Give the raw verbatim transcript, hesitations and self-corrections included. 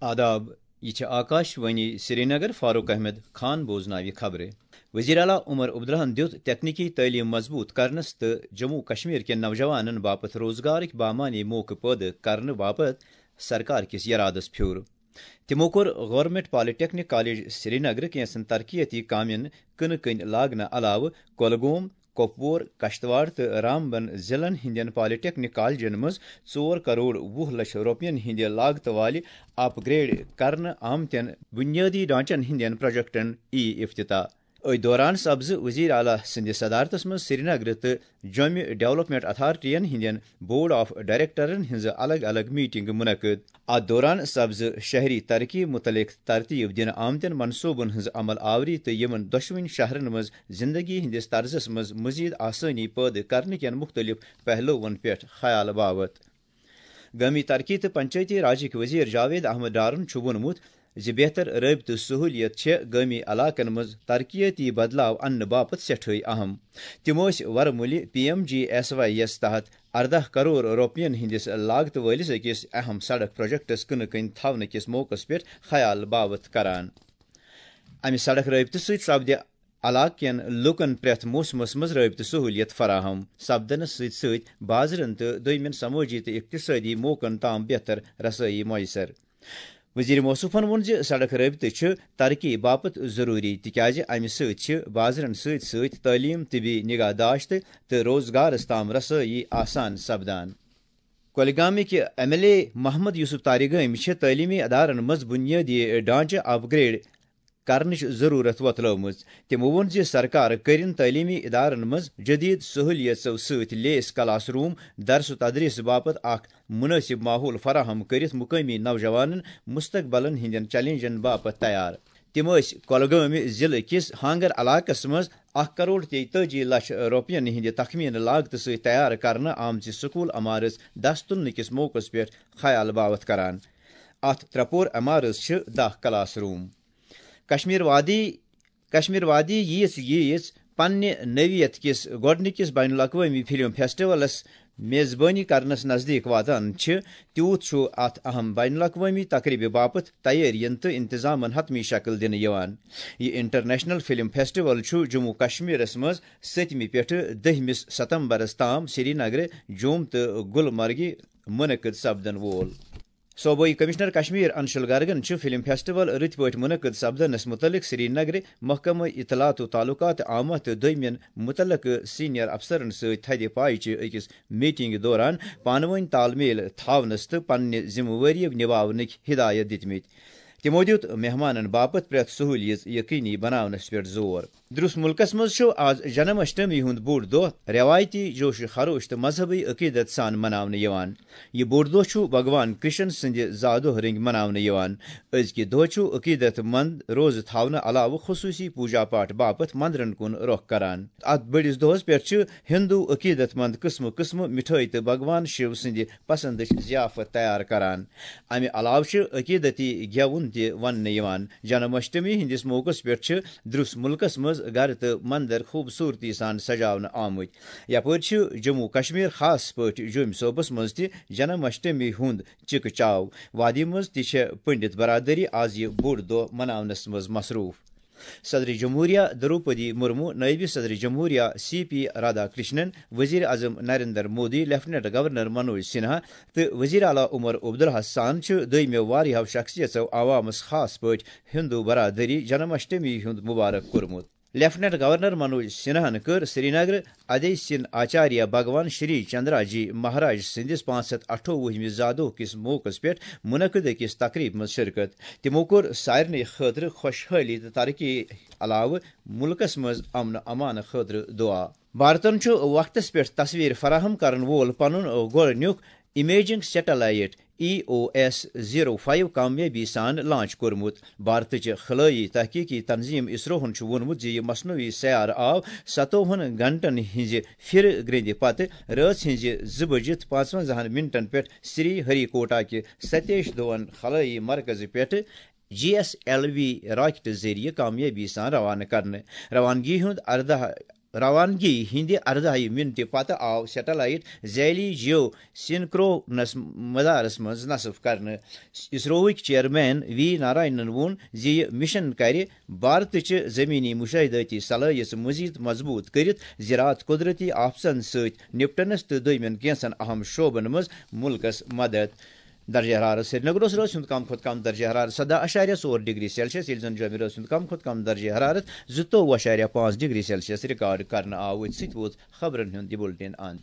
آداب، یہِ چھِ آکاش وانی سرینگر۔ فاروق احمد خان بوزناوِ خبرٕ۔ وزیر اعلیٰ عمر عبداللہن دیُت تکنیکی تعلیٖم مضبوٗط کرنس تہٕ جموں کشمیر کٮ۪ن نوجوانن باپتھ روزگارٕکۍ بامعنی موقعہٕ پٲدٕ کرنہٕ باپتھ سرکار کِس یرادس پھیُر۔ تِمو کوٚر گورنمنٹ پالیٹیکنک کالج سرینگرٕ کینٛژن ترقیتی کامٮ۪ن کٕنہٕ کٕنۍ لاگنہٕ علاوٕ کۄلگوم، کۄپوور، کشتواڑ تہٕ رامبن ضلعن ہٕنٛدٮ۪ن پالیٹیکنک کالجن منٛز ژور کرور وُہ لچھ رۄپین ہٕنٛدِ لاگتہٕ والہِ اپ گریڈ کرنہٕ آمتٮ۪ن بنیٲدی ڈھانچن ہٕنٛدٮ۪ن پروجیکٹن یی افتتاح۔ أتھۍ دوران سپزٕ وزیر اعلیٰ سٕنٛدِ صدارتس منٛز سرینگرٕ تہٕ جوٚمہِ ڈیولپمنٹ اتھارٹین ہٕنٛدٮ۪ن بورڈ آف ڈائریکٹرن ہٕنٛزٕ الگ الگ میٹنگہٕ منعقد۔ اتھ دوران سپزٕ شہری ترقی متعلق ترتیب دِنہٕ آمتٮ۪ن منصوبن ہٕنٛز عمل آوری تہٕ یِمن دۄشوٕنی شہرن منٛز زندگی ہٕنٛدِس طرزس منٛز مزید آسٲنی پٲدٕ کرنہٕ کٮ۪ن مختلف پہلوون پٮ۪ٹھ خیال باوت۔ گٲمی ترقی تہٕ پنچایتی راجٕکۍ وزیر جاوید احمد ڈارن چھُ ووٚنمُت زِ بہتر رٲبطہٕ سہوٗلیت چھےٚ گٲمی علاقن منٛز ترقیتی بدلاو اننہٕ باپتھ سٮ۪ٹھٲے اہم۔ تِم ٲسۍ ورمُلہِ P M G S Y یَس تحت ارداہ کرور رۄپین ہٕنٛدِس لاگتہٕ وٲلِس أکِس اہم سڑک پروجیکٹس کٕنہٕ کٕنۍ تھاونہٕ کِس موقعس پٮ۪ٹھ خیال باوت کران۔ امہِ سڑک رٲبطہٕ سۭتۍ سپدِ علاقہٕ کٮ۪ن لوٗکن پرٛٮ۪تھ موسمس منٛز رٲبطہٕ سہوٗلیت فراہم سپدنس سۭتۍ سۭتۍ بازرن تہٕ دوٚیمٮ۪ن سمٲجی تہٕ اقتصٲدی موقعن تام بہتر رسٲیی میسر۔ وزیر موصوفن ووٚن زِ سڑک رٲبطہٕ چھِ ترقی باپتھ ضروٗری، تِکیازِ امہِ سۭتۍ چھِ بازرن سۭتۍ سۭتۍ تعلیٖم، طبی نگہداشت تہٕ روزگارس تام رسٲیی آسان سپدان۔ کۄلگامٕکۍ M L A Mohammad Yousuf Tarigami چھِ تعلیمی ادارن منٛز بنیٲدی ڈھانچہٕ اپ گریڈ کرنٕچ ضروٗرت وۄتلٲومٕژ۔ تِمو ووٚن زِ سرکار کٔرِن تعلیمی ادارن منٛز جدید سہولیژو سۭتۍ لیس کلاس روم، درس و تدریس باپتھ اکھ مناسب ماحول فراہم کٔرِتھ مقٲمی نوجوانن مستقبلن ہٕنٛدٮ۪ن چیلنجن باپتھ تیار۔ تِم ٲسۍ کۄلگٲمۍ ضلعہٕ کِس ہانگر علاقس منٛز اکھ کرور تیتٲجی لچھ رۄپین ہٕنٛدِ تخمینہٕ لاگتہٕ سۭتۍ تیار کرنہٕ آمژِ سکول عمارژ دس تُلنہٕ کِس موقعس پٮ۪ٹھ خیال باوتھ کران۔ اتھ ترٛےٚ پور عمارژ چھِ دَہ کلاس روم۔ کشمیر وادی، کشمیر وادی ییٖژ ییٖژ پننہِ نوعیت کِس گۄڈٕنِکِس بین الاقوٲمی فلم فیسٹیولس میزبٲنی کرنس نزدیٖک واتان چھِ، تیوٗت چھُ اتھ اہم بین الاقوٲمی تقریبہِ باپتھ تیٲرین تہٕ انتظامن حتمی شکل دِنہٕ یِوان۔ یہِ انٹرنیشنل فلم فیسٹیول چھُ جموں کشمیرس منٛز سٔتمہِ پٮ۪ٹھٕ دٔہمِس ستمبرس تام سرینگرٕ، جوم تہٕ گلمرگہِ منعقد سپدن وول۔ صوبٲئی کمشنر کشمیر انشل گرگن چھُ فلم فیسٹیول رٕتۍ پٲٹھۍ منعقد سپدنس متعلق سرینگرٕ محکمہٕ اطلاعات و تعلقات آمد تہٕ دوٚیمٮ۪ن متعلقہٕ سینئر افسرن سۭتۍ تھدِ پایہِ چہِ أکِس میٹنگہِ دوران پانہٕ وٲنۍ تال میل تھاونس تہٕ پننہِ ذمہٕ وٲری نباونٕکۍ ہدایت دِتمٕتۍ۔ تِمو دیُت مہمانن باپتھ پرٛٮ۪تھ سہوٗلیت یقینی بناونس پٮ۪ٹھ زور۔ درس ملکس منٛز چھُ آز جنم اشٹمی ہُنٛد بوٚڑ دۄہ۔ رٮ۪وایتی جوش و خروش تہٕ مذہبی عقیدت سان مناونہٕ یِوان۔ یہِ بوٚڑ دۄہ چھُ بھگوان کرشن سٕنٛدِ زا دۄہ رٔنٛگۍ مناونہٕ یِوان۔ أزکہِ دۄہ چھُ عقیدت مند روزٕ تھاونہٕ علاوٕ خصوٗصی پوجا پاٹھ باپتھ مندرن کُن رۄخ کران۔ اتھ بٔڑِس دۄہس پٮ۪ٹھ چھِ ہندو عقیدت مند قٕسمہٕ قٕسمہٕ مِٹھٲے تہٕ بھگوان شِو سٕنٛدِ پسندٕچ ضیافت تیار کران۔ امہِ علاوٕ چھِ عقیدتی گٮ۪وُن تہِ وننہٕ یِوان۔ جنم اشٹمی ہٕنٛدِس موقعس پٮ۪ٹھ چھِ درس ملکس منٛز گرٕ تہٕ مندر خوٗبصوٗرتی سان سجاونہٕ آمٕتۍ۔ یپٲرۍ چھِ جموں کشمیر خاص پٲٹھۍ جوٚمۍ صوبس منٛز تہِ جنم اشٹمی ہُنٛد چکہٕ چاو۔ وادی منٛز تہِ چھےٚ پنڈت برادری از یہِ بوٚڑ دۄہ مناونس منٛز مصروٗف۔ صدر جمہوریہ دروپدی مرمو، نائب صدر جمہوریہ سی پی رادھا کرشنن، وزیر اعظم نریندر مودی، لیفٹیننٹ گورنر منوج سنہا تہٕ وزیر اعلیٰ عمر عبداللہ سان چھِ دوٚیمٮ۪و واریاہو شخصیژو عوامس، خاص پٲٹھۍ ہندو برادری، جنم اشٹمی ہُنٛد مبارک کوٚرمُت۔ لیفٹیننٹ گورنر منوج سنہاہن کٔر سرینگر ادے سین آچاریہ بھگوان شری چندرا جی مہاراج سٕنٛدِس پانٛژھ ہتھ اَٹھووُہمِس زادوہ کِس موقعس پٮ۪ٹھ منعقد أکِس تقریبہِ منٛز شرکت۔ تِمو کوٚر سارنٕے خٲطرٕ خۄشحٲلی تہٕ ترقی علاوٕ مُلکس منٛز امن و امان خٲطرٕ دُعا۔ بھارتن چھُ وقتس پٮ۪ٹھ تصویر فراہم کرن وول پنُن گۄڈٕنیُک امیجنگ سیٹلائٹ ای او ایس زیرو فائیو کامیٲبی سان لانچ کوٚرمُت۔ بھارتٕچ خلٲیی تحقیقی تنظیم اسروہن چھُ ووٚنمُت زِ یہِ مصنوعی سیارٕ آو ستووُہن گھنٹن ہٕنٛزِ پھِرٕ گرٛیٚندِ پتہٕ رٲژ ہٕنٛزِ زٕ بجِتھ پانٛژونٛزاہن منٹن پٮ۪ٹھ سری ہری کوٹا کہِ ستیش دھون خلٲیی مرکزٕ پٮ۪ٹھٕ جی ایس ایل وی راکٹہٕ ذٔریعہٕ کامیٲبی سان روانہٕ کرنہٕ۔ روانگی ہُنٛد ارداہ روانگی ہٕنٛدِ اَرداہہِ مِنٹہِ پتہٕ آو سیٹلائٹ ذیلی جیو سنکرونس مدارس منٛز نصب کرنہٕ۔ اسروہٕکۍ چیئرمین وی نارائنن ووٚن زِ یہِ مشن کرِ بھارتٕچہِ زمینی مشاہدٲتی صلٲحیژ مزید مضبوط کٔرِتھ، زِ راتھ قدرتی آفتن سۭتۍ نپٹنس تہٕ دوٚیمٮ۪ن کینٛژن اہم شعبن منٛز مُلکس مدد۔ درجہ حرارت سرینگرس روز ہُنٛد کم کھۄتہٕ کم درجہ حرارت سداہ اعشاریہ ژور ڈگری سیلسیس، ییٚلہِ زن جومہِ روز ہُنٛد کم کھۄتہٕ کم درجہ حرارت زٕتووُہ اعشاریہ پانٛژھ ڈگری سیلسیس ریکارڈ کرنہٕ آو۔ أتھۍ سۭتۍ ووت خبرن ہُنٛد یہِ بُلٹن اند۔